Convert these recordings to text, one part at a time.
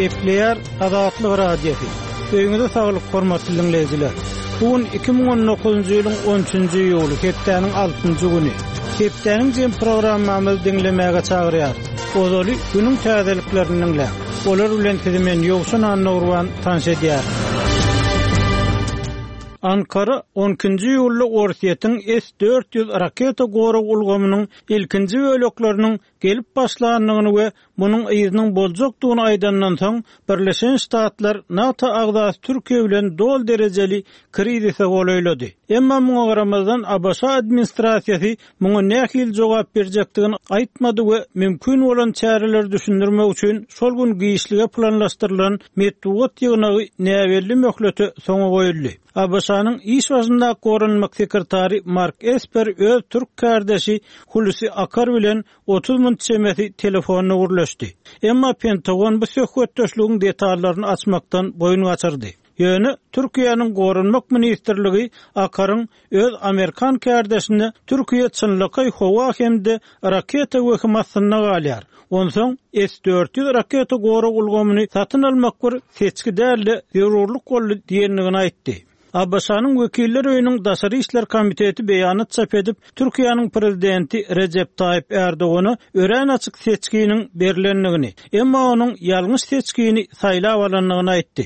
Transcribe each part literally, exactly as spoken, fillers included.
Gepleýär Azatlyk Radiosy. Öýüňize saglyk, hormatly diňleýjiler. Bu gün iki müň on dokuzynjy ýylyň on üçünji iýuly, hepdäniň altynjy güni. Hepdäniň jem programmamyzy diňlemäge çagyrýarys. Ozaly günüň täzeliklerini diňläň. Olar bilen sizi men Ýowşan Annagurban tanyş edýärin. Ankara on ikinji iýulda Orsýetiň S dört ýüz raketa gorag ulgamynyň ilkinji bölekleriniň gelip başlandygyny we munuň yzynyň boljakdygyny aýdandan soň Birleşen Ştatlar NATO agzasy Türkiýe bilen dol derejeli krizise golaýlady. Emma muňa garamazdan A B Ş administrasiýasy muňa nähili jogap berjekdigini aýtmady we mümkin bolan çäreleri düşündirmek üçin şol gün giçlige planlaşdyrylan metbugat ýygnagy näbelli möhlete soňa goýuldy. A B Ş-nyň iş başyndaky goranmak sekretary Mark Esper öz türk kardeşi Hulusi Akar bilen otuz minut çemesi telefonla gürleşdi. Emma Pentagon bu söhbetdeşligiň detallaryny açmakdan boýun gaçyrdy. Ýöne Türkiýäniň goranmak ministrligi Akaryň öz Amerikan kardeşine Türkiýe çynlakaý howa hem-de raketa wehim astynda galýar. Onsoň S dört ýüz raketa gorag ulgamyny satyn almak bir seçgi däldi, zerurlyk boldy diýendigini aýtdy. A B Ş-nyň Wekiller Öýüniň Daşary Işler Komiteti beýanat çap edip, Türkiýäniň prezidenti Recep Tayyip Erdogana örän açyk seçginiň berilendigini, emma onuň ýalňyş seçgini saýlap alandygyny aýtdy.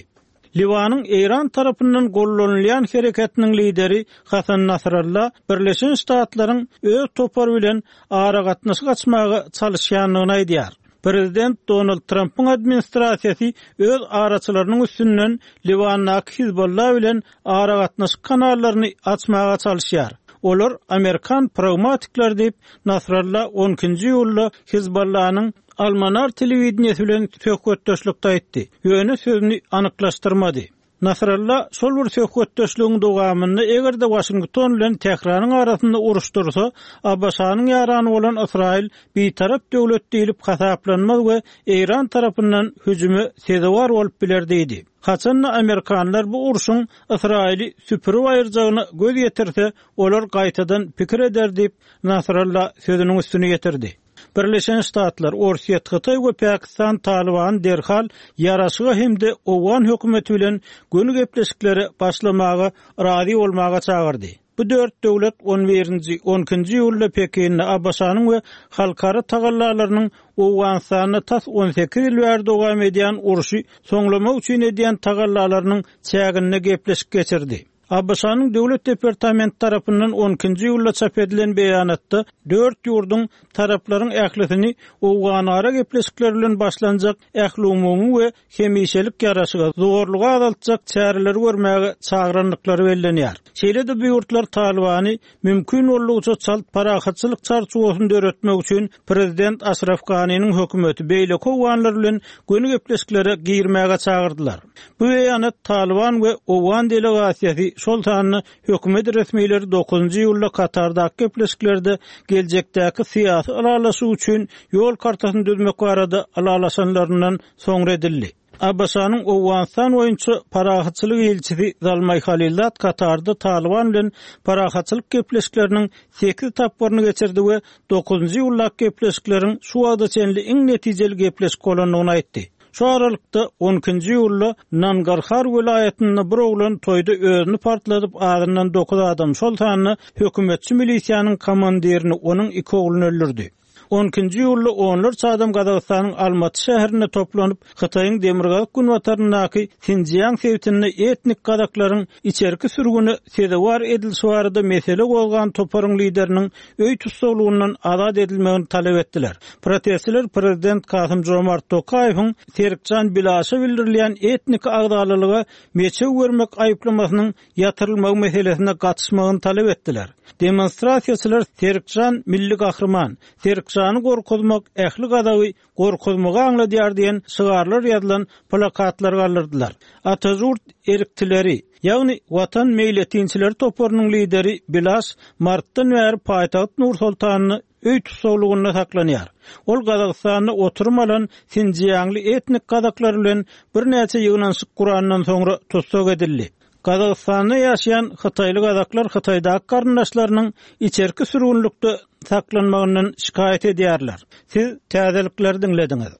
Liwanyň Eýran tarapyndan gollanylýan hereketiniň lideri Hasan Nasrallah Birleşen Ştatlaryň öz topary bilen aragatnaşyk açmaga çalyşýandygyny aýdýar. Prezident Donald Trumpyň administrasiýasy öz araçylarynyň üstünden Liwandaky Hizbollah bilen aragatnaşyk kanallaryny açmaga çalyşýar. Olar Amerikan pragmatikler diýip Nasrallah on ikinji iýulda Hizbollahnyň Almanar telewideniýesi bilen söhbetdeşlikde aýtdy. Ýöne sözüni anyklaşdyrmady. Nasrallah şol bir söhbetdeşligiň dowamynda eger-de Washington bilen Tähranyň arasynda uruş dursa, A B Ş-nyň ýarany bolan Ysraýyl bitarap döwlet diýlip hasaplanmaz we Eýran tarapyndan hüjüme sezewar bolup biler diýdi. Haçanda Amerikanlar bu urşuň Ysraýyly süpürip aýyrjagyna göz ýetirse, olar gaýtadan pikir eder diýip Nasrallah sözüniň üstüne ýetirdi. Birleşen Ştatlar, Orsýet, Hytaý we Pakistan Taliban derhal ýaraşyga hem-de Owgan hökümeti bilen göni gepleşiklere başlamaga razy bolmaga çagyrdy. Bu dört döwlet on birinji, on ikinji iýulda Pekinde A B Ş-nyň we halkara tagallalarynyň Owganystanda tas on sekiz ýyl bäri dowam edýän urşy soňlamak üçin edýän tagallalarynyň çäginde gepleşik geçirdi. A B Ş-nyň Döwlet Departamenti tarapyndan on ikinji iýulda çap edilen beýanatda dört ýurduň taraplaryň ählisini Owganara gepleşikler bilen başlanjak ähliumumy we hemişelik ýaraşyga zorluga azaltjak çäreleri görmäge çagranlyklary bellenýär. Şeýle-de bu ýurtlar Talibany mümkin boldugyça çalt parahatçylyk çarçuwasyny döretmek üçin Prezident Aşraf Ganiniň hökümeti beýleki owganlar bilen göni gepleşiklere girmäge çagyrdylar. Bu beýanat Taliban we Owgan delegasiýasy şol sanda hökümet resmileri dokuzynjy iýulda Katardaky gepleşiklerde geljekdäki syýasy ylalaşyk üçin ýol kartasyny düzmek barada ylalaşanlaryndan soňra edildi. A B Ş-nyň Owganystan boýunça parahatçylyk ilçisi Zalmay Halilzad Katarda Taliban bilen parahatçylyk gepleşikleriniň sekiz tapgyryny geçirdi we dokuzynjy iýuldaky gepleşikleriň şu wagta çenli iň netijeli gepleşik bolandygyny aýtdy. Şu aralykda on ikinji iýulda Nangarhar welaýatynda bir oglan toýda özüni partladyp azyndan dokuz adam, şol sanda hökümetçi milisiýanyň komandirini, onuň iki ogluny öldürdi. On ikinji iýulda onlarça adam Gazagystanyň Almaty şäherinde toplanyp, Hytaýyň demirgazyk günbataryndaky Sinjiang sebitinde etnik gazaklaryň içerki sürgüne sezewar edilişi barada mesele gozgan toparyň lideriniň öý tussaglygyndan azat edilmegini talap etdiler. Protestçiler prezident Kasym Jomart Tokaýewiň Serikjan Bilaşa bildirilýän etnik agzalalyga meçew görmek aýyplamasynyň ýatyrylmagy meselesine gatyşmagyny talap etdiler. Demonstrasiýaçylar Serikjan milli gahryman, Serikjany gorkuzmak ähli gazagy gorkuzmagy aňladýar diýen şygarlar ýazylan plakatlar galdyrdylar. Atajurt erktileri, ýagny Watan meýletinçileri toparynyň lideri Bilaş Martdan bäri paýtagt Nur Sultanyny öý tussaglygynda saklanýar. Ol Gazagystanda oturum alan Sinjiangly etnik gazaklar bilen birnäçe ýygnanyşyk gurandan soňra tussag edildi. Gazagystanda ýaşaýan Hytaýly gazaklar Hytaýdaky garyndaşlarynyň içerki sürgünlikde saklanmagyndan şikaýat edýärler. Siz täzelikleri diňlediňiz.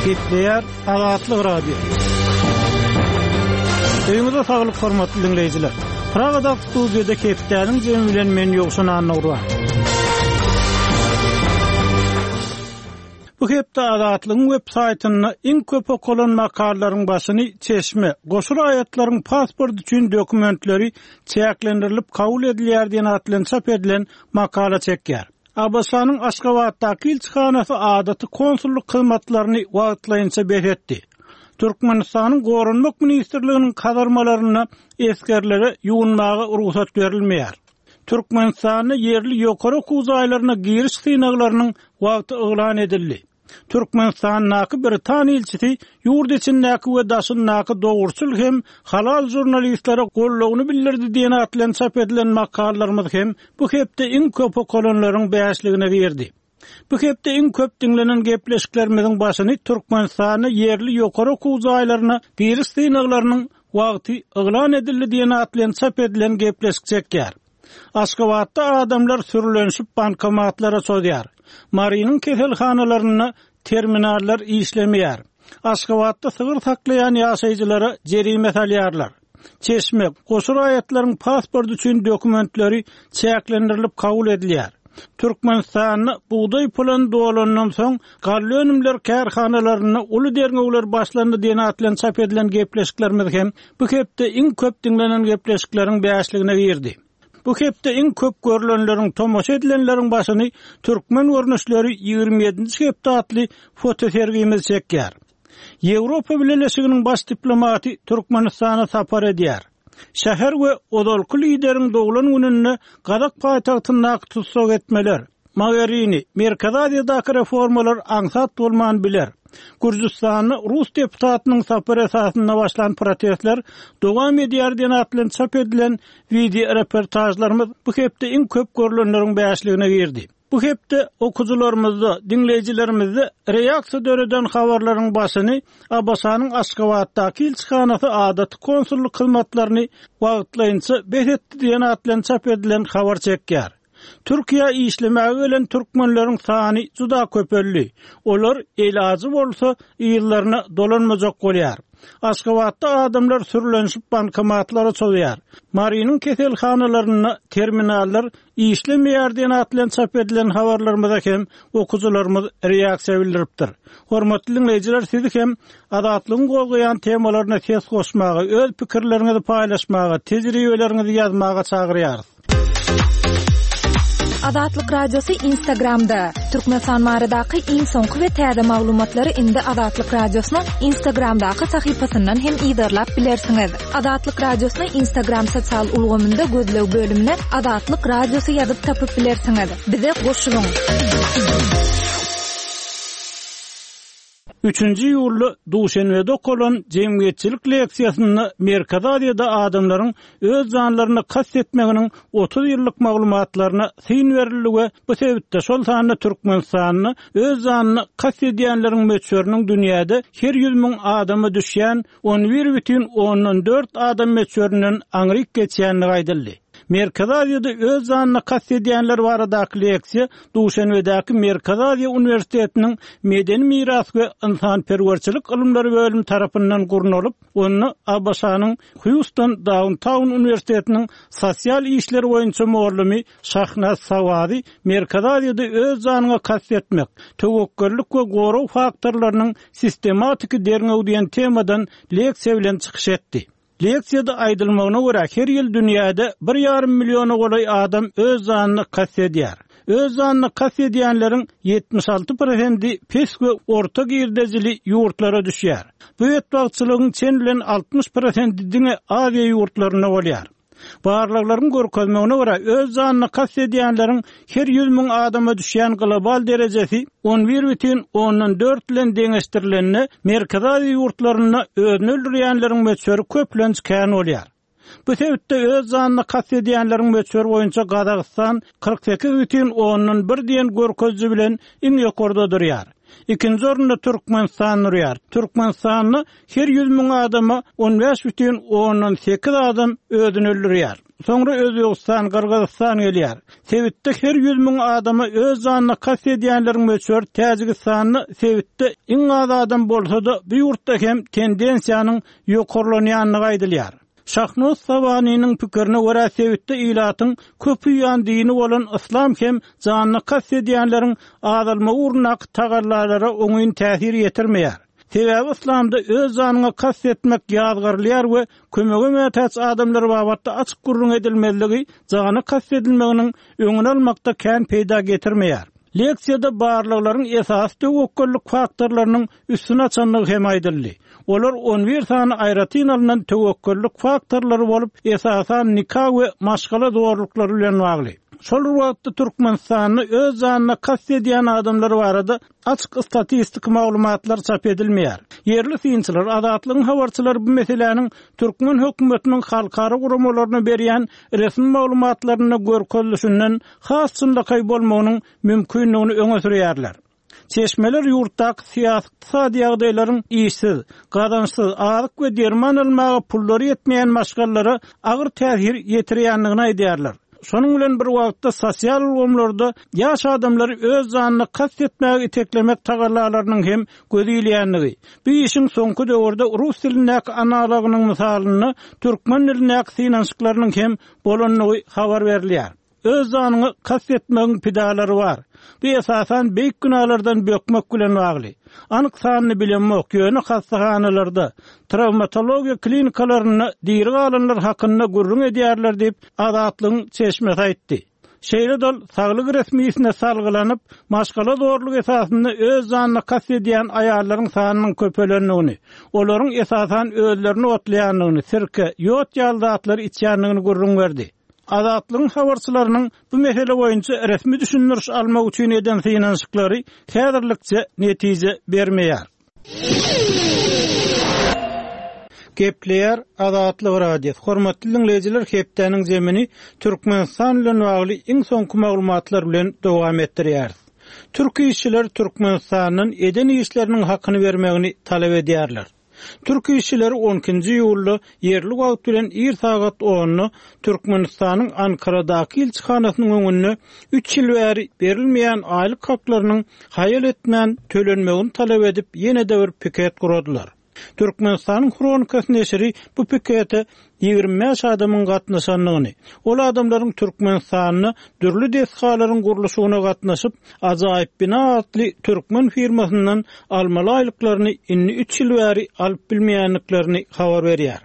Gepleýär Azatlyk Radiosy. Öýüňize saglyk hormatly diňleýjiler. Pragadaky studiýada hepdäniň jemi bilen men Ýowşan Annagurban. Bu hepde Azatlygyň web saýtynda iň köp okalan makalalaryň başyny Çeşme, goşa raýatlaryň pasport üçin dokumentleri çäklendirilip kabul edilýär diýen at bilen çap edilen makala çekýär. ABŞ-nyň Aşgabatdaky ilçihanasy adaty konsullyk hyzmatlaryny wagtlaýynça bes etdi. Türkmenistanyň Goranmak ministrliginiň kazarmalarynda esgerlere ýuwunmaga rugsat berilmeýär. Türkmenistanda ýerli ýokary okuw jaýlaryna giriş synaglarynyň wagty yglan edildi. Türkmenistandaky Britan ilçisi ýurt içindäki we daşyndaky dogruçyl hem halal žurnalistlere goldawyny bildirdi diýen at bilen çap edilen makalalarymyz hem bu hepde iň köp okalanlaryň bäşligine girdi. Bu hepde iň köp diňlenen gepleşiklerimiziň başyny Türkmenistanda ýerli ýokary okuw jaýlaryna giriş synaglarynyň wagty yglan edildi diýen at bilen çap edilen gepleşik çekýär. Aşgabatda adamlar sürülenişip bankomatlara çozýar. Marynyň keselhanalarynda terminallar işlemeýär. Aşgabatda sygyr saklaýan ýaşaýjylara jerime salýarlar. Çeşme, goşa raýatlaryň pasport üçin dokumentleri çäklendirilip kabul edilýär. Türkmenistanda bugdaý pulan dolandan soň galla önümler kärhanalarynda uly derňewler başlandy diýen at bilen çap edilen gepleşiklerimiz hem bu hepde iň köp diňlenen gepleşikleriň bäşligine girdi. Bu hepde iň köp görülenleriň, tomaşa edilenleriň başyny Türkmen görnüşleri ýigrimi ýedinji hepde atly fotosergimiz çekýär. Ýewropa Bileleşiginiň baş diplomaty Türkmenistana sapar edýär. Şäher we ozalky lideriň doglan gününde Gazak paýtagtyndaky tussag etmeler, Mogherini, Merkezi Aziýadaky reformalar aňsat bolman biler. Gürjüstanda rus deputatynyň sapar esasynda başlan protestler dowam edýär diýen at bilen çap edilen video reportajlarymyz bu hepde iň köp görülenleriň bäşligine girdi. Bu hepde okujylarymyzda, diňleýjilerimizde reaksiýa döreden habarlaryň başyny ABŞ-nyň Aşgabatdaky ilçihanasy adaty konsullyk hyzmatlaryny wagtlaýynça bes etdi diýen at bilen çap edilen habar çekýär. Türkiýä işlemäge gelen türkmenleriň sany juda köpeldi. Olar elajy bolsa yzlaryna dolanmajak bolýar. Aşgabatda adamlar sürülenişip bankomatlara çozýar. Marynyň keselhanalarynda terminallar işlemeýär diýen at bilen çap edilen habarlarymyza hem okujylarymyz reaksiýa bildiripdir. Hormatly diňleýjiler, sizi hem Azatlygyň gozgaýan temalaryna ses goşmaga, öz pikirleriňizi paýlaşmaga, tejribeleriňizi ýazmaga çagyrýarys. Azatlyk Radiosy Instagramda. Türkmenistan baradaky iň soňky we täze maglumatlary indi Azatlyk Radiosynyň Instagramdaky sahypasyndan hem yzarlap bilersiňiz. Azatlyk Radiosyny Instagram sosial ulgamynda gözleg bölümine Azatlyk Radiosy ýazyp tapyp bilersiňiz. Bize goşulyň. Üçünji iýulda Duşenbede okalan jemgyýetçilik leksiýasynda Merkezi Aziýada adamlaryň öz janlaryna kast etmeginiň otuz ýyllyk maglumatlaryna syn berildi we bu sebitde, şol sanda Türkmenistanda öz janyna kast edýänleriň möçberiniň dünýäde her ýüz müň adama düşýän on bir bütin ondan dört adam möçberinden aňryk geçýändigi aýdyldy. Merkezi Aziýada öz janyna kast edýänler baradaky leksiýa Duşenbedäki Merkezi Aziýa Uniwersitetiniň Medeni miras we ynsanperwerçilik ylymlary bölümi tarapyndan gurnalyp, onda ABŞ-nyň Hýuston Downtown Uniwersitetiniň sosial işler boýunça mugallymy Şahnaz Sawazi Merkezi Aziýada öz janyňa kast etmek, töwekgellik we gorag faktorlarynyň sistematiki derňewi diýen temadan leksiýa bilen çykyş etdi. Leksiýada aýdylmagyna görä, her ýyl dünýäde bir ýarym milliona golaý adam öz janyna kast edýär. Öz janyna kast edýänleriň ýetmiş alty prosenti pes we orta girdejili ýurtlara düşýär. Bu betbagtçylygyň çen bilen altmyş prosenti diňe Aziýa ýurtlarynda bolýar. Barlaglaryň görkezmegine görä, öz janyna kast edýänleriň her ýüz müň adama düşýän global derejesi on bir bütin ondan dört bilen deňeşdirilende, Merkezi Aziýa ýurtlarynda özüni öldürýänleriň möçberi köplenç kän bolýar. Bu sebitde öz janyna kast edýänleriň möçberi boýunça Gazagystan kyrk sekiz bütin ondan bir diýen görkeziji bilen iň ýokarda durýar. Ikinji orunda Türkmenistan durýar. Türkmenistanda her ýüz müň adama on bäş bütin ondan sekiz adam özüni öldürýär. Soňra Özbegistan, Gyrgyzystan gelýär. Sebitde her ýüz müň adama öz janyna kast edýänleriň möçberi Täjigistanda sebitde iň az adam bolsa-da, bu ýurtda hem tendensiýanyň ýokarlanýandygy aýdylýar. Şahnoz Sawanynyň pikirine görä, sebitde ilatyň köp uýýan dini bolan yslam hem janyna kast edýänleriň azalmagy ugrundaky tagallalara oňyn täsir ýetirmeýär. Sebäbi yslamda öz janyňa kast etmek ýazgarylýar we kömege mätäç adamlar babatda açyk gürrüň edilmezligi jana kast edilmeginiň öňüni almakda kän peýda getirmeýär. Leksiýada barlaglaryň esasy töwekgellik faktorlarynyň üstüni açandygy hem aýdyldy. Olar on bir sany aýratyn alnan töwekgellik faktorlary bolup, esasan nika we maşgala zorluklary bilen bagly. Şol bir wagtda Türkmenistanda öz janyna kast edýän adamlar barada açyk statistik maglumatlar çap edilmeýär. Ýerli synçylar, Azatlygyň habarçylary bu meseläniň türkmen hökümetiniň halkara guramalaryna berýän resmi maglumatlarynda görkezilişinden has çynlakaý bolmagynyň mümkinligini öňe sürýärler. Çeşmeler ýurtdaky syýasy ykdysady ýagdaýlaryň işsiz, gazançsyz, azyk we derman almaga pullary ýetmeýän maşgalalara agyr täsir ýetirýändigini aýdýarlar. Şonuň bilen bir wagtda sosial ulgamlarda ýaş adamlary öz janyna kast etmäge iteklemek tagallalarynyň hem gözi ilýändigi, bu işiň soňky döwürde rus dilindäki analogynyň mysalynda türkmen dilindäki synanyşyklarynyň hem bolandygy habar berilýär. Öz janyňa kast etmegiň pidalary bar. Bu esasan beýik günälerden bökmek bilen bagly. Anyk sanyny bilemok, ýöne hassahanalarda, trawmatologiýa klinikalarynda diri galanlar hakynda gürrüň edýärler diýip, Azatlygyň çeşmesi aýtdy. Şeýle dol saglyk resmisine salgylanyp, maşgala zorlugy esasynda öz janyna kast edýän aýallaryň sanynyň köpelendigini, olaryň esasan özlerini otlaýandygyny, sirke, ýod ýaly zatlary içýändigini gürrüň berdi. Azatlygyň habarçylarynyň bu mesele boýunça resmi düşündiriş almak üçin eden synanyşyklary häzirlikçe netije bermeýär. Gepleýär Azatlyk Radiosy. Hormatly dinleýjiler, hepdäniň zemini Türkmenistan bilen bagly iň soňky maglumatlar bilen dowam etdirýäris. Türk işçiler Türkmenistandan eden işleriniň hakyny bermegini talap edýärler. Türk işçileri on ikinji iýulda ýerli wagt bilen ir sagat onda Türkmenistanyň Ankaradaky ilçihanasynyň öňünde üç ýyl bäri berilmeýän aýlyk haklarynyň haýal etmän tölenmegini talap edip ýene-de bir piket guradylar. Türkmenistanyň Hronikasy neşiri bu pikete ýigrimi bäş adamyň gatnaşandygyny, ol adamlaryň Türkmenistanda dürli desgalaryň gurluşygyna gatnaşyp, Ajaýyp Bina atly türkmen firmasyndan almaly aýlyklaryny indi üç ýyl bäri alyp bilmeýändiklerini habar berýär.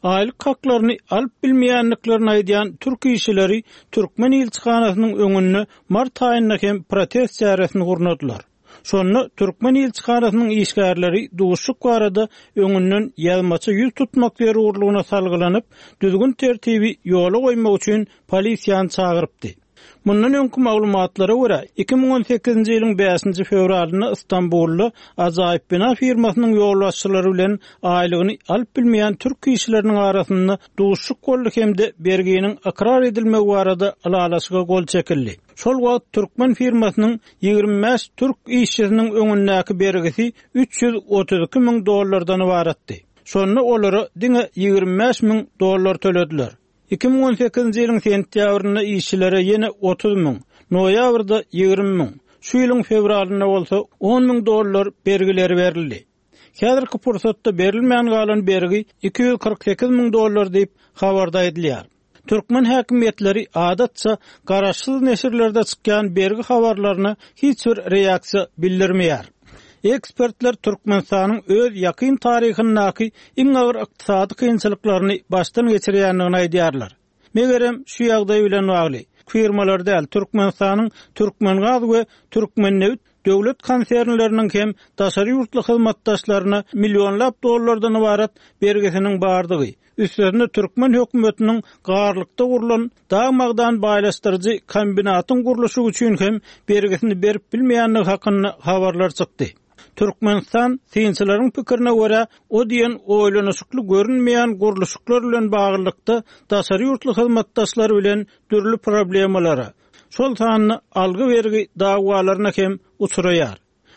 Aýlyk haklaryny alyp bilmeýändiklerini aýdýan türk işçileri türkmen ilçihanasynyň öňünde mart aýynda hem protest çäresini gurnadylar. Şonda türkmen ilçihanasynyň işgärleri duşuk barada öňünden ýazmaça ýüz tutmak zerurlygyna salgylanyp, düzgün tertibi ýola goýmak üçin polisiýany çagyrypdy. Mundan öňki maglumatlara görä, iki müň on sekizinji ýylyň bäşinji fewralynda Istanbulda Ajaýyp Bina firmasynyň ýolbaşçylary bilen aýlygyny alyp bilmeýän türk işçileriniň arasynda duşuk boldy hem-de berginiň ykrar edilmegi barada ylalaşyga gol çekildi. Şol wagt türkmen firmasynyň ýigrimi bäş türk işçisiniň öňündäki bergisi üç ýüz otuz iki müň dollardan ybaratdy. Şonda olara diňe ýigrimi bäş müň dollar tölediler. Iki müň on sekizinji ýylyň sentýabrynda işçilere ýene otuz müň, noýabrda ýigrimi müň, şu ýylyň fewralynda bolsa on müň dollar bergileri berildi. Häzirki pursatda berilmän galan bergi iki ýüz kyrk sekiz müň dollar diýip habarda aýdylýar. Türkmen häkimiýetleri adatça garaşsyz neşirlerde çykýan bergi habarlaryna hiç bir reaksiýa bildirmeýär. Ekspertler Türkmenistanyň öz ýakyn taryhyndaky iň agyr ykdysady kynçylyklaryny başdan geçirýändigini aýdýarlar. Megerem şu ýagdaý bilen bagly firmalar däl, Türkmenistanyň Türkmengaz we Türkmennebit döwlet konsernleriniň hem daşary ýurtly hyzmatdaşlaryna millionlap dollardan ybarat bergisiniň bardygy, üstlerine türkmen hökümetiniň garlykda gurlan dag magdan baýlaşdyryjy kombinatyň gurluşygy üçin hem bergisini berip bilmeýändigi hakynda habarlar çykdy. Türkmenistan synçylaryň pikirine görä, o diýen oýlanyşykly görünmeýän gurluşyklar bilen baglylykda daşary ýurtly hyzmatdaşlar bilen dürli problemalara, şol sanda algy bergi dawalaryna hem uçraýar.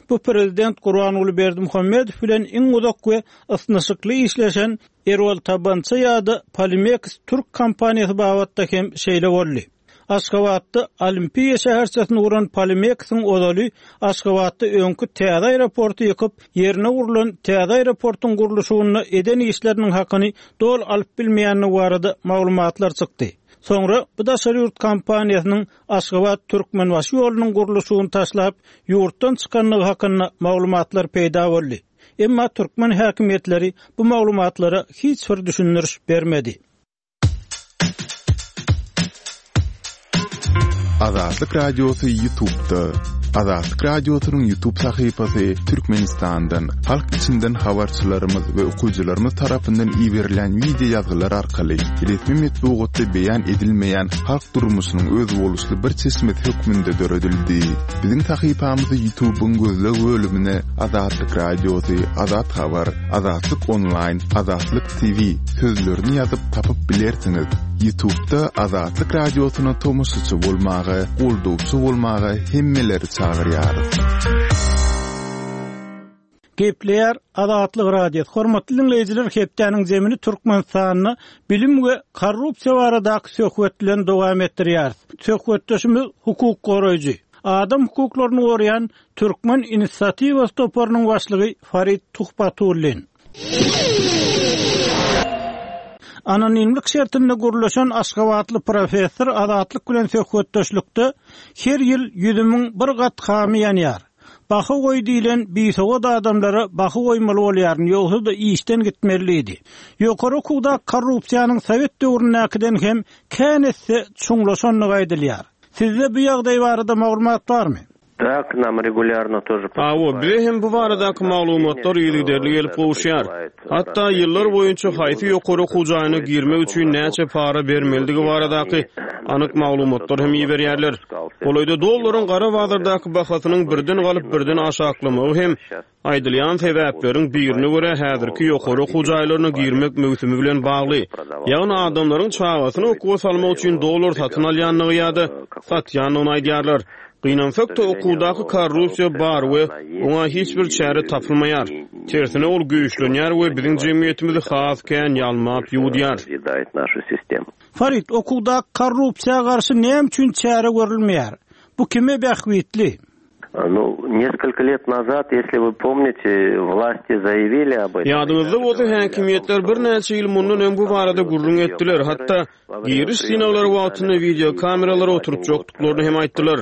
Bu prezident Gurbanguly Berdimuhamedow bilen iň uzak we ysnyşykly işleşen Erol Tabança ýa-da Polimeks türk kompaniýasy babatda hem şeýle boldy. Aşgabatda Olimpiýa şäherçesini guran Polimeksiň ozaly Aşgabatda öňki täze aeroporty ýykyp, ýerine gurlan täze aeroportuň gurluşygyna eden işleriniň hakyny doly alyp bilmeýändigi barada maglumatlar çykdy. Soňra bu daşary ýurt kompaniýasynyň Aşgabat Türkmenbaşy ýolunyň gurluşygyny taşlap, ýurtdan çykandygy hakynda maglumatlar peýda boldy. Emma türkmen häkimiýetleri bu maglumatlara hiç bir düşündiriş bermedi. Azatlyk Radiosy YouTube'da. Azatlyk Radiosynyň YouTube sahypasy Türkmenistandan, halk içinden habarçylarymyz we okyjylarymyz tarapyndan iberilen wideo ýazgylar arkaly resmi metbugatda beýan edilmeýän halk durmuşynyň özboluşly bir çeşmesi hökmünde döredildi. Biziň sahypamyzy YouTube'yň gözleg bölümine Azatlyk Radiosy, Azat Habar, Azatlyk Online, Azatlyk T V sözlerini ýazyp tapyp bilersiňiz. YouTube'da Azatlyk Radiosyna tomaşaçy bolmaga, goldawçy bolmaga hemmeleri çagyrýarys. Gepleýär Azatlyk Radiosy. Hormatly dinleýjiler, hepdäniň zemini Türkmenistanda bilim we korrupsiýa baradaky söhbet bilen dowam etdirýäris. Söhbetdeşimiz hukuk goraýjy, adam hukuklaryny goraýan Türkmen Inisiatiwasy toparynyň başlygy Farid Tuhbatullin. Anonimlik şertinde gurluşan Aşgabatly professor Azatlyk bilen söhbetdeşlikde her ýyl ýüz müň bir gat hamy ýanýar. Baha goý diýlen bisowat adamlara baha goýmaly bolýar, ýogsa-da işden gitmeliydi. Ýokary okuwda korrupsiýanyň sowet döwründäkiden hem kän esse çuňlaşandygy aýdylýar. Sizde bu ýagdaý barada maglumat barmy? Да, к нам regulýarno тоже Hawa, bize hem bu baradaky maglumatlar yzygiderli gelip gowuşýar. Hatda ýyllar boýunça haýsy ýokary okuw jaýyna girmek üçin näçe para bermelidigi baradaky anyk maglumatlar hem iberýärler. Golaýda dollaryň gara bazardaky bahasynyň birden galyp birden aşaklamagy hem aýdylýan sebäpleriň birine görä häzirki ýokary okuw jaýlaryna girmek möwsümi bilen bagly. Ýagny adamlaryň çagasyny okuwa salmak üçin dollar satyn alýandygy ýa-da satýandygyny aýdýarlar. Gynansak-da okuwdaky korrupsiýa bar we oňa hiç bir çäre tapylmaýar. Tersine ol güýçlenýär we biziň jemgyýetimizi has kän ýalmap ýuwudýar. Farid, okuwda korrupsiýa garşy näme üçin çäre görülmeýär? Bu kime bähbitli? Ну, несколько лет назад, если вы помните, власти заявили об этом. Ýadyňyzda bolsa häkimiýetler birnäçe ýyl mundan öň bu barada gürrüň etdiler. Hatda giriş synaglary wagtynda wideo kameralary oturtjakdyklaryny hem aýtdylar.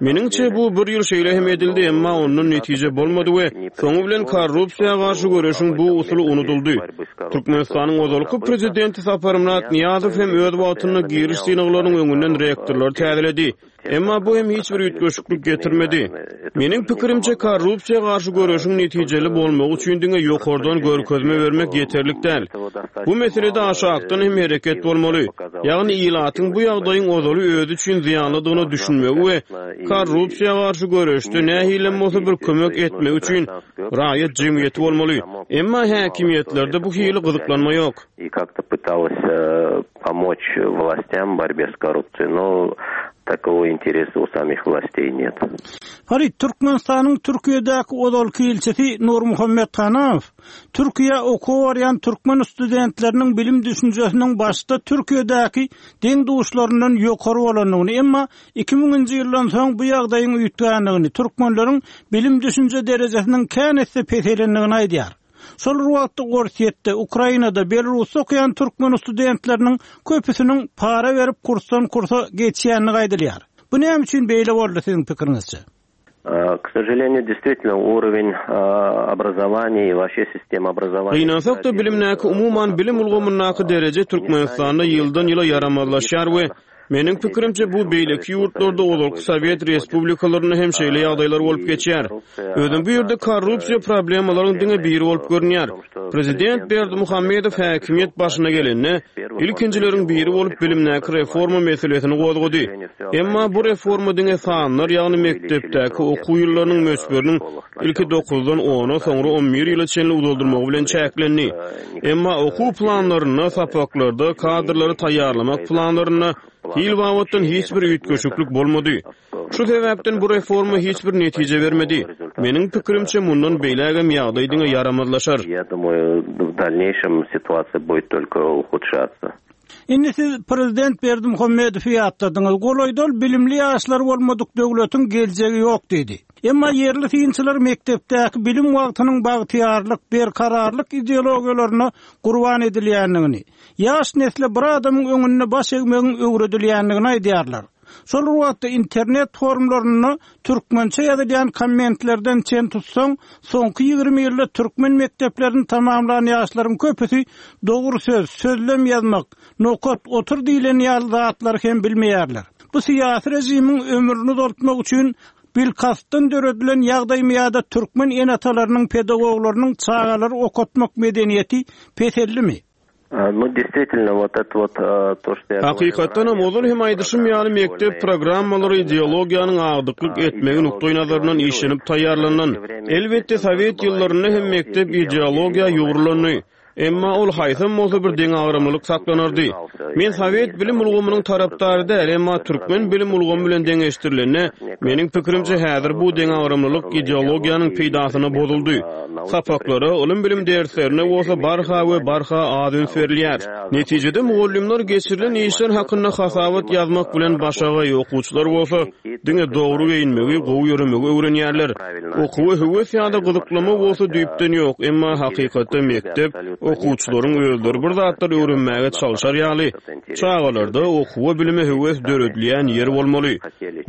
Meniňçe bu bir ýyl şeýle hem edildi, emma ondan netije bolmady we soňy bilen korrupsiýa garşy göreşiň bu usuly unudyldy. Türkmenistanyň ozalky prezidenti Saparmyrat Nyýazow hem öz wagtynda giriş synaglarynyň öňünden rektorlary täzeledi. Emma bu hem hiç bir üýtgeşiklik getirmedi. Meniň pikirimçe korrupsiýa garşy göreşiň netijeli bolmagy üçin diňe ýokardan görkezme bermek ýeterlik däl. Bu meselede aşakdan hem hereket bolmaly. Ýagny ilatyň bu ýagdaýyň ozaly özi üçin zyýanlydygyna düşünmegi we korrupsiýa garşy göreşde nähili bolsa bir kömek etmek üçin raýat jemgyýeti bolmaly. Emma häkimiýetlerde bu hili gyzyklanma ýok. И как-то пыталась э, помочь властям в борьбе с коррупцией, но такого интереса у самих властей нет. Farid, Türkmenistanyň Türkiýedäki ozalky ilçisi Nurmuhammet Hanamow Türkiýä okuwa barýan türkmen studentleriniň bilim düşünjesiniň başda Türkiýedäki deň duşlaryndan ýokary bolandygyny, emma iki müňünji ýyldan soň bu ýagdaýyň üýtgändigini, türkmenleriň bilim düşünje derejesiniň kän esse peselendigini aýdýar. Şol wagtda Orsýetde, Ukrainada, Belarusda okaýan türkmen studentleriniň köpüsiniň para berip kursdan kursa geçýänini aýdylýar. Bu näme üçin beýle boldy siziň pikiriňizçe? К сожалению, действительно, уровень образования и вообще система образования... Gynansak-da bilimdäki umuman bilim ulgamyndaky dereje Türkmenistanda ýyldan ýyla ýaramazlaşýar we meniň pikirimçe bu beýleki ýurtlarda ozalky Sowet respublikalarynda hem şeýle ýagdaýlar bolup geçýär. Özüm bu ýerde korrupsiýa problemalaryň diňe biri bolup görünýär. Prezident Berdimuhamedow häkimiýet başyna gelende ilkinjileriň biri bolup bilimdäki reforma meselesini gozgady. Emma bu reforma diňe sanlar, ýagny mekdepdäki okuw ýyllarynyň möçberiniň ilki dokuzdan ona, soňra on bir ýyla çenli uzaldyrmagy bilen çäklendi. Emma okuw planlarynda, sapaklarda, kadrlary taýýarlamak planlarynda hil babatdan hiç bir üýtgeşiklik bolmady. Şu sebäpden bu reforma hiç bir netije bermedi. Meniň pikirimçe, mundan beýlägem ýagdaý diňe ýaramazlaşar. Я думаю, в дальнейшем ситуация будет только ухудшаться. Indi siz prezident Berdimuhamedowy ýatladyňyz. Golaýda ol bilimli ýaşlar bolmadyk döwletiň geljegi ýok diýdi. Emma ýerli synçylar mekdepdäki bilim wagtynyň bagtyýarlyk, berkararlyk ideologiýalaryna gurban edilýändigini, ýaş nesle bir adamyň öňünde baş egmegiň öwredilýändigini aýdýarlar. Şol wagtda internet forumlarynda türkmençe ýazylýan kommentlerden çen tutsaň, soňky ýigrimi ýylda türkmen mekdeplerini tamamlan ýaşlaryň köpüsi dogry söz, sözlem ýazmak, nokat, otur diýlen ýaly zatlary hem bilmeýärler. Bu syýasy rejimiň ömrüni uzaltmak üçin bilkastdan döredilen ýagdaýmy ýa-da türkmen ene-atalarynyň pedagoglarynyň çagalary okatmak medeniýeti pesellimi? Ну, действительно, вот это вот то, что я Hakykatdanam ozal hem aýdyşym ýaly mekdep programmalary ideologiýanyň agdyklyk etmegi nukdaý nazaryndan işlenip taýýarlanan. Elbetde sowet ýyllarynda hem mekdep ideologiýa ýugrulandy. Emma ol haýsam bolsa bir deňagramlylyk saklanardy. Men sowet bilim ulgamynyň tarapdary däl, emma türkmen bilim ulgamy bilen deňeşdirilende, meniň pikirimçe häzir bu deňagramlylyk ideologiýanyň peýdasyna bozuldy. Sapaklara, ylym bilim derslerine bolsa barha we barha az üns berilýär. Netijede mugallymlar geçirilen işler hakynda hasabat ýazmak bilen başagaý okuwçylar bolsa diňe dogry geýinmegi, gowy ýöremegi öwrenýärler. Okuwa höwes ýa-da gyzyklama bolsa düýpden ýok, emma hakykatda mekdep okuwçylaryň özleri bir zatlar öwrenmäge çalşar ýaly, çagalarda okuwa bilime höwes döredilýän ýer bolmaly.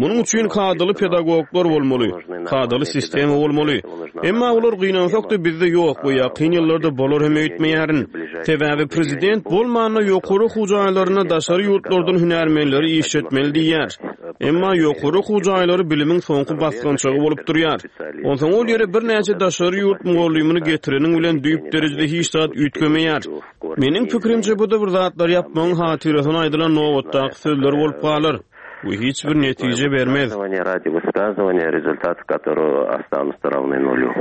Munuň üçin kadaly pedagoglar bolmaly, kadaly sistema bolmaly. Emma olar gynansak-da bizde ýok we ýakyn ýyllarda bolar hem öýtmeýärin. Sebäbi prezident bolmanda ýokary okuw jaýlaryna daşary ýurtlardan hünärmenleri işletmeli diýýär. Emma ýokary okuw jaýlary bilimiň soňky basgançagy bolup durýar. Onsoň ol ýere birnäçe daşary ýurt mugallymyny getireniň bilen düýp derejede hiç zat üýtgemeýär. Meniň pikirimçe bu da bir zatlar ýapmagyň hatyrasyna aýdylan nobatdaky sözler bolup galar. Bu hiç bir netije bermez. Ради высказывания, результаты которого останутся равны нулю.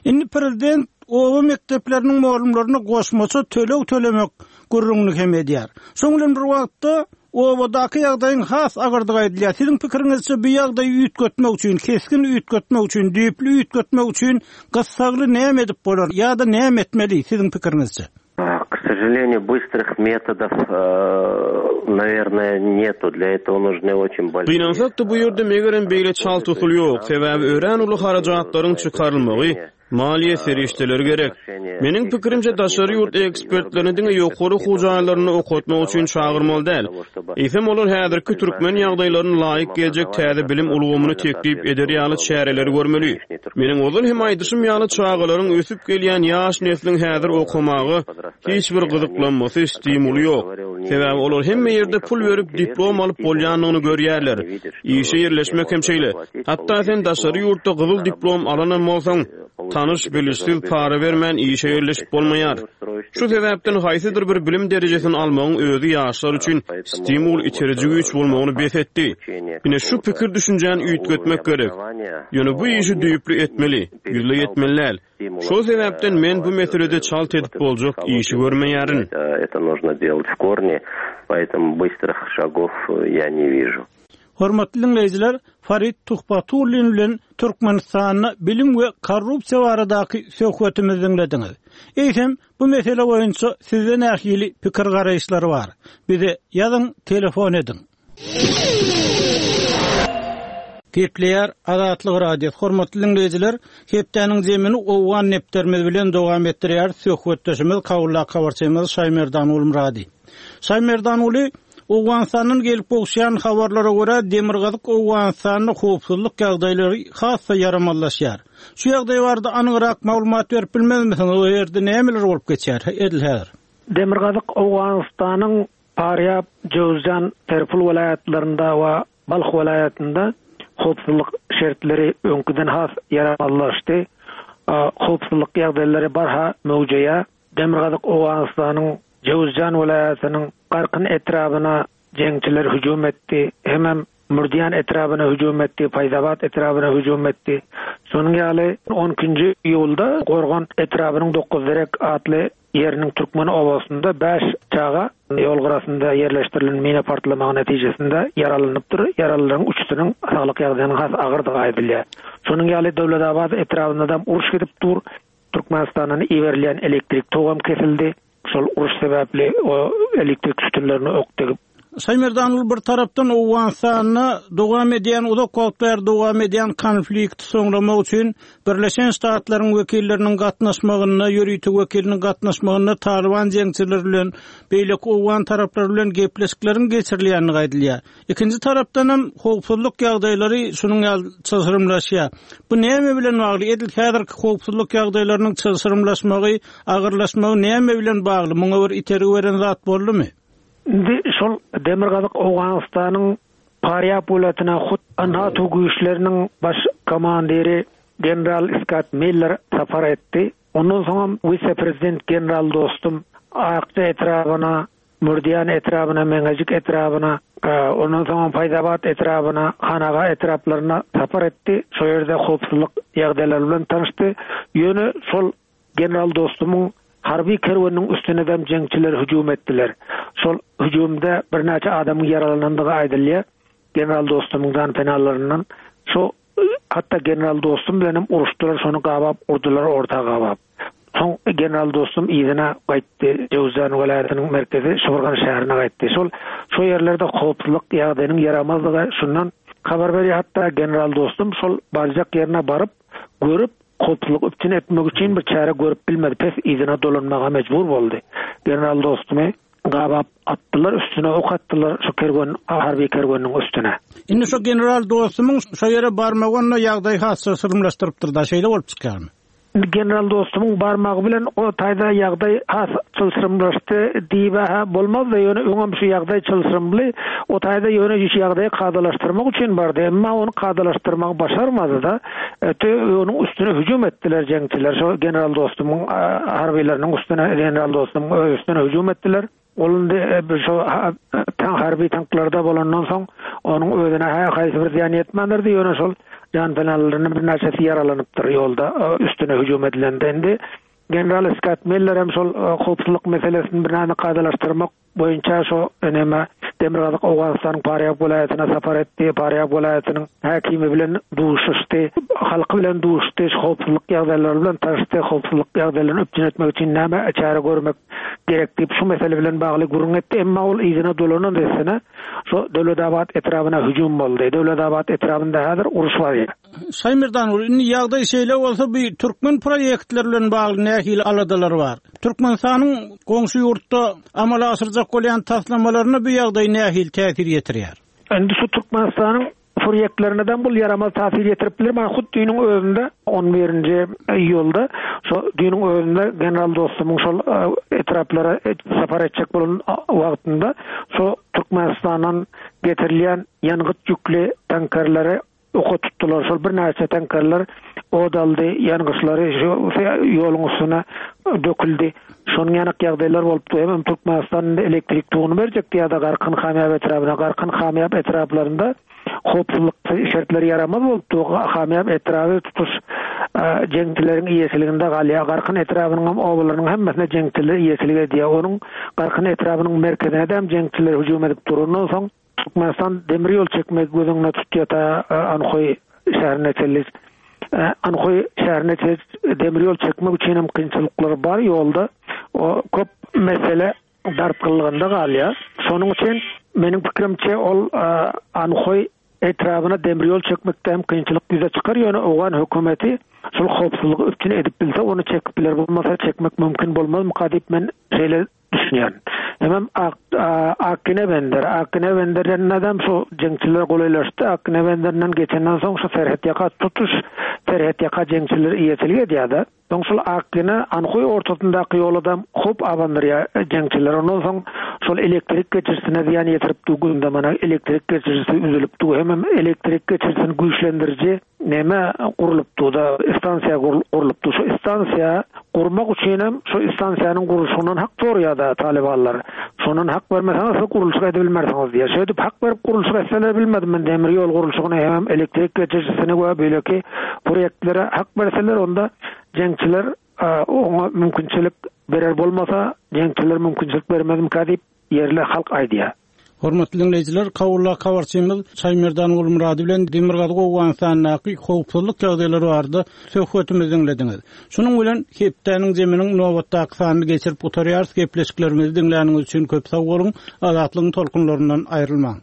Indi prezident oba mekdepleriniň mugallymlaryna goşmaça töleg tölemek gürrüňini hem edýär. Şoň bilen bir wagtda obadaky ýagdaýyň has agyrdygy aýdylýar. Siziň pikiriňizçe bu ýagdaýy üýtgetmek üçin, kesgin üýtgetmek üçin, düýpli üýtgetmek üçin gyssagly näme edip bolar ýa-da näme etmeli siziň pikiriňizçe? К сожалению, быстрых методов, наверное, нету. Для этого нужны очень большие... Gynansak-da bu ýerde megerem beýle çalt usul ýok. Sebäbi örän uly harajatlaryň çykarylmagy, maliýe serişdeleri gerek. Meniň pikirimçe daşary ýurt ekspertlerini diňe ýokary okuw jaýlaryny okatmak üçin çagyrmaly däl. Eýsem olar häzirki türkmen ýagdaýlaryna laýyk geljek täze bilim ulgamyny teklip eder ýaly çäreleri görmeli. Meniň ozal hem aýdyşym ýaly çagalaryň ösüp gelýän ýaş nesliň häzir okamaga hiç bir gyzyklanmasy, stimuly ýok. Sebäbi olar hemme ýerde pul berip diplom alyp bolýanyny görýärler. Işe ýerleşmek hem şeýle. Hatda sen daşary ýurtda gyzyl diplom alanam bolsaň, tanyş bilişsiz para bermän işe ýerleşip bolmaýar. Şu sebäpden haýsydyr bir bilim derejesini almagyň özi ýaşlar üçin stimul iteriji güýç bolmagyny bes etdi. Ine şu pikir düşünjäni üýtgetmek gerek. Ýöne bu işi düýpli etmeli, ýüzle etmeli däl. Şol sebäpden men bu meselede çalt edip boljak işi görmeýärin. Это нужно делать в корне, поэтому быстрых шагов я не вижу. Hormatly dinleýjiler, Farid Tuhbatullin bilen Türkmenistanda bilim we korrupsiýa baradaky söhbetimizi dinlediňiz. Eýsem, bu mesele boýunça sizde nähili pikir garaýyşlar bar? Bize ýazyň, telefon ediň. Gepleýär Azatlyk Radiosy. Hormatly dinleýjiler, hepdäniň zemini Owgan nepterimiz bilen dowam etdirýär. Söhbetdeşimiz Kawullah habarçymyz Şaýmerdan Ulmurady. Şaýmerdan Uly, Owganistandan gelip gowşan habarlara görä Demirgazyk Owganistanda howpsuzlyk ýagdaýlary has-da ýaramazlaşýar. Şu ýagdaý barada anygyrak maglumat berip bilmezmisiňiz? O ýerde nämeler bolup geçýär? Edil häzir. Demirgazyk Owganistanyň Parýab, Jowzjan, Terpul welaýatlarynda we Balh welaýatynda howpsuzlyk şertleri öňküden has ýaramazlaşdy. Howpsuzlyk ýagdaýlary barha möwjeýär. Demirgazyk Owganistanyň Jowzjan welaýatynyň Garkyn etrabyna jeňçiler hüjüm etdi. Hemem Mürdiýan etrabyna hüjüm etdi, Paýzabat etrabyna hüjüm etdi. Şonuň ýaly on ikinji iýulda Gorgan etrabynyň Dokuzderek atly ýeriniň türkmen obasynda bäş çaga ýol gyrasynda ýerleşdirilen mina partlamagy netijesinde ýaralanypdyr. Ýaralylaryň üçüsiniň saglyk ýagdaýynyň has agyrdygy aýdylýar. Şonuň ýaly Döwletabat etrabynda da uruş gidip dur. Türkmenistandan iberilýän elektrik togam kesildi. Şol uruş sebäpli o elektrik sütünlerine ok degip. Şaýmerdan bir tarapdan Owganystanda dowam edýän uzak wagt bäri dowam edýän konflikti soňlamak üçin Birleşen Ştatlaryň wekilleriniň gatnaşmagynda, ýörite wekiliniň gatnaşmagynda Taliban jeňçileri bilen beýleki Owgan taraplary bilen gepleşikleriň geçirilýändigi aýdylýar. Ikinji tarapdan hem howpsuzlyk ýagdaýlary şunuň ýaly çylşyrymlaşýar. Bu näme bilen bagly? Edil häzirki howpsuzlyk ýagdaýlarynyň çylşyrymlaşmagy, agyrlaşmagy näme bilen bagly? Muňa bir itergi beren zat boldumy? Indi şol Demirgazyk Owganystanyň Parýab welaýatyna hut NATO güýçleriniň baş komandiri General Scott Miller sapar etdi. Ondan soň wise-prezident General Dostum Akça etrabyna, Mürdiýan etrabyna, Meňejik etrabyna, ondan soň Paýzabat etrabyna, Hanaga etraplaryna sapar etdi. Şo ýerde howpsuzlyk ýagdaýlary bilen tanyşdy. Ýöne şol General Dostumyň harby kerweniniň üstüne dem jeňçiler hüjüm etdiler. Şol hüjümde birnäçe adamyň ýaralanandygy aýdylýar. General Dostumyň dan penalaryndan şo hatda General Dostum bilen hem uruşdylar, şony gabap urdular orta gabap. Soň General Dostum yzyna gaýtdy. Jowzjan welaýatynyň merkezi Şuburgan şäherine gaýtdy. Şol şo ýerlerde howpsuzlyk ýagdaýynyň ýaramazlygy şundan habar berýär. Hatda General Dostum şol barjak ýerine baryp görüp howpsuzlyk üpjün etmek üçin bir çäre görüp bilmedi. Pes yzyna dolanmaga mejbur boldy. General Dostumy gabap atdylar, üstüne ok atdylar şu kerwen, harby kerweniniň üstüne. Indi şu General Dostumyň şu ýere barmagy onda ýagdaý has çylşyrymlaşdyrypdyr da, şeýle bolup çykýarmy? General Dostumyň barmagy bilen o taýda ýagdaý has çylşyrymlaşdy diýip-hä bolmaz-da, ýöne öňem şu ýagdaý çylşyrymly, o taýda ýöne şu ýagdaýy kadalaşdyrmak üçin bardy, emma ony kadalaşdyrmagy başarmady-da. Öte onuň üstüne hüjüm etdiler jeňçiler, şo General Dostumyň harbylarynyň üstüne, General Dostumyň öz üstüne hüjüm etdiler. Ol indi şo harby tanklarda bolandan soň onuň özüne haýsy bir zyýan ýetmändirdi, ýöne şol jan penalarynyň birnäçesi ýaralanypdyr ýolda üstüne hüjüm edilende. Indi General Scott Miller hem şol howpsuzlyk meselesini birnäçe kadalaşdyrmak boýunça şo eneme Demirgazyk Owganystanyň Parýab welaýatyna sapar etdi. Parýab welaýatynyň häkimi bilen duşuşdy, halky bilen duşuşdy, howpsuzlyk ýagdaýlary bilen tanyşdy, howpsuzlyk ýagdaýlaryny üpjün etmek üçin näme çäre görmek gerek diýip şu mesele bilen bagly gürrüň etdi. Emma ol yzyna dolanan dessine şo Döwletabat etrabyna hüjüm boldy. Döwletabat etrabynda häzir uruş bar. Şaýmerdan, indi ýagdaý şeýle bolsa, bu türkmen proýektleri bilen bagly nähili aladalar bar? Türkmenistanyň goňşy ýurtda amala aşyrjak bolýan taslamalaryna bu ýagdaý nähili täsir ýetirýär? Indi şu Türkmenistanyň proýektlerinden bu ýaramaz täsir ýetirip biler. Mana hut düýnüň özünde on birinji iýulda şo düýnüň özünde General Dostumyň şol etraplara sapar etjek bolan wagtynda şo Türkmenistandan getirilýän ýangyç ýükli tankerleri oka tutdular. Şol birnäçe tankerler od aldy, ýangyçlary şu ýoluň üstüne döküldi. Şonuň ýanak ýagdaýlar bolupdy. Hem Türkmenistan elektrik toguny berjekdi ýa-da Garkyn Hamýap etrabyna. Garkyn Hamýap etraplarynda howpsuzlyk şertleri ýaramaz bolupdy. Hamýap etraby tutuş jeňçileriň eýeçiliginde galýar. Garkyn etrabynyň hem obalarynyň hemmesine jeňçiler eýeçilik edýär. Onuň Garkyn etrabynyň merkezine hem jeňçiler hüjüm edip durandan soň Türkmenistan demir ýol çekmek göz öňüne tutýar ta Anhoý şäherine çenli. Anhoý şäherine çenli demir ýol çekmek üçin hem kynçylyklar bar ýolda. O köp mesele dartgynlygynda galýar. Şonuň üçin meniň pikirimçe ol Anhoý etrabyna demir ýol çekmekde hem kynçylyk ýüze çykar. Ýöne Owgan hökümeti şol howpsuzlygy üpjün edip bilse ony çekip biler, bolmasa çekmek mümkin bolmaz diýip men şeýle düşünýän. Hemem Akine bender, Akine benderden adam şu jeňçiler golaýlaşdy. Akine benderinden geçenden soň şu serhet ýaka tutuş serhet ýaka jeňçiler eýeçilik edýärdi. Soň şol Akine Anhoý ortasyndaky ýola hop abandyrýar jeňçiler. Ondan soň şol elektrik geçirisine zyýan ýetirip günde mana elektrik geçirisi üzülip du. Hemem elektrik geçirisini güýçlendiriji neme gurlupdy-da, stansiýa gurlupdy. Şu stansiýa gurmak üçinem şu stansiýanyň gurluşygyndan hak soraýar-da talybanlar. Şondan hak bermeseňiz siz gurluşyk edibilmersiňiz diýýär. Şeýdip hak berip gurluşyk etseler bilmedim men demir ýol gurluşygyny hemem elektrik geçirijisini we beýleki proýektlere hak berseler onda jeňçiler oňa mümkinçilik berer bolmasa jeňçiler mümkinçilik bermezmikä diýip ýerli halk aýdýar. Hormatly diňleýjiler, Kabuldaky habarçymyz Şaýmerdan Gulmyrady bilen Demirgazyk Owganystandaky howpsuzlyk ýagdaýlary barada söhbetimizi diňlediňiz. Şunuň bilen hepdäniň zeminiň nobatdaky sanyny geçirip gutarýarys. Gepleşiklerimizi diňläniňiz üçin köp sag boluň. Azatlygyň tolkunlaryndan aýrylmaň.